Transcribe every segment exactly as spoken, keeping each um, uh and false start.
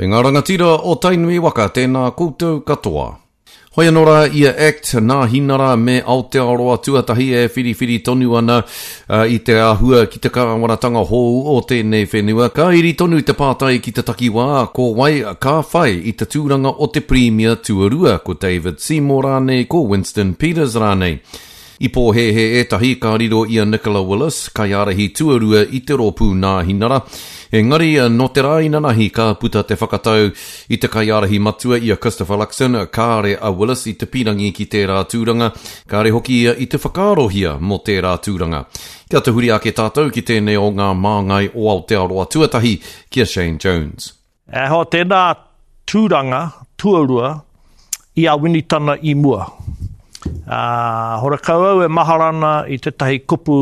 Kei ngā rangatira o Tainui waka, tēnā koutou katoa. Hoi anō rā ia Act, Nāhinara me Aotearoa Tuatahi e whiriwhiri tonu ana uh, i te āhua ki te kāwanatanga hou o tēnei whenua. Ka iri tonu te pātai ki te takiwā, ko wai ka whai i te tūranga o te Pirimia tuarua, ko David Seymour rānei, ko Winston Peters rānei. I pōhēhē ētahi ka riro i a Nicola Willis, kaiārahi tuarua i te rōpū Nāhinara. Engari, nō te rā inanahi ka puta te whakatau i te kaiārahi matua i a Christopher Luxon, kāre a Willis i te pīrangi ki tērā tūranga, kāre hoki ia i te whakaarohia mō tērā tūranga. Kia tahuri ake tātou ki tēnei o ngā māngai o Aotearoa Tuatahi, ki a Shane Jones. E hoa tēnā tūranga tuarua i a Winitana i mua. Uh, horekau au e mahara ana i tētahi kupu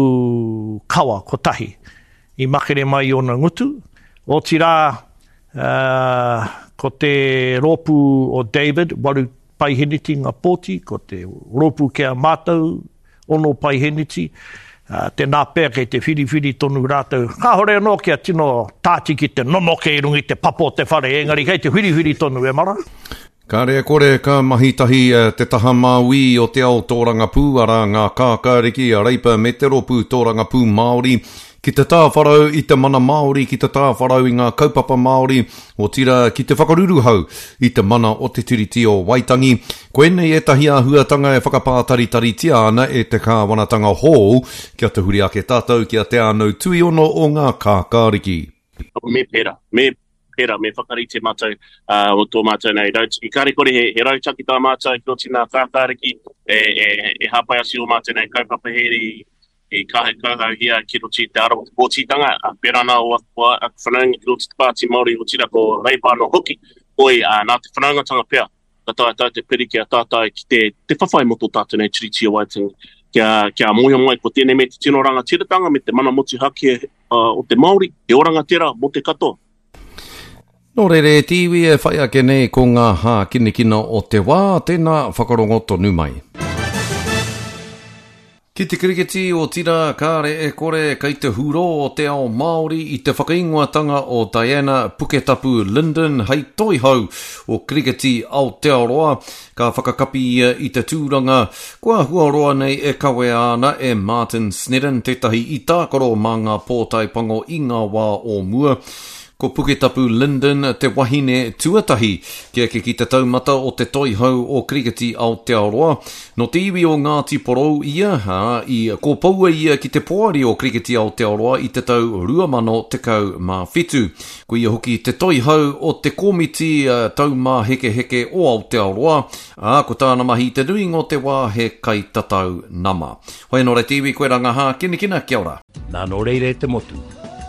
kawa kotahi i makere mai i ōna ngutu. Otirā, uh, ko te rōpū o David, waru paiheniti ngā pōti, ko te rōpū ki a mātou, ono paiheniti, uh, tēnā pea kei te whiriwhiri tonu rātou. Kāhore anō kia tino tātiki te nonoke i runga i te papa o te whare, engari kei te whiriwhiri tonu e mara. Kāre e kore ka mahi tahi te taha māui o te ao tōrangapū, arā ngā kākāriki a Reipa me te rōpū tōrangapū Māori, ki te tāwharau i te mana Māori, ki te tāwharau i ngā kaupapa Māori, otirā ki te whakaruruhau i te mana o te Tiriti o Waitangi. Koinei ētahi āhuatanga e whakapātaritaritia ana e te kāwanatanga hou, kia tahuri ake tātou ki a Te Ānau Tuiono o ngā kākāriki. Me pērā, me pērā, me whakarite mātou uh, o tō mātou nei rautaki. Kāre kore he, he rautaki tā mātou ki roto i ngā kākāriki e, e, e hāpai atu o mātou nei kaupapa here i, i kauhauhia ki roto i te ara o te pōtitanga. Pērā nā o aku, aku whanaunga ki roto i te Pāti Māori, otirā ko Reipa anō hoki. Hoi, uh, nā te whanaungatanga pea, ka taea tātou te piri ki a tātou ki te, te whawhai mō tō tātou nei Tiriti o Waitangi. Kia, kia mōhio mai ko tēnei me te tino rangatiratanga me te mana motuhake uh, o te Māori, he oranga tērā mō te katoa. Nō reira e te iwi e whai ake nei ko ngā hākinakina o te wā, tēnā whakarongo tonu mai. Ki te kirikiti otirā kāre e kore kei te hurō o te ao Māori i te whakaingoatanga o Diana Puketapu Lyndon hei toihau o Kirikiti Aotearoa. Ka whakakapi ia i te tūranga kua āhua roa nei e kawea ana e Martin Snedden, tētahi i tākaro mā ngā pōtae pango i ngā wā o mua. Ko Puketapu Lyndon te wahine tuatahi kia eke ki te taumata o te toihau o Kirikiti Aotearoa. Nō te iwi o Ngāti Porou ia, ā, i kōpoua ia ki te poari o Kirikiti Aotearoa i te tau rua mano tekau mā whitu. Ko ia hoki te toihau o te komiti taumāhekeheke o Aotearoa, ā, ko tāna mahi i te nuinga o te wā he kaitatau nama. Hoi anō rā te iwi, koe rā ngā hākinakina, kia ora. Nā nō reira e te motu,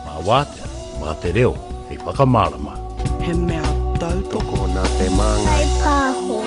mā wātea, mā te reo, hei whakamārama. He mea tautoko nā te māngai. Pāho.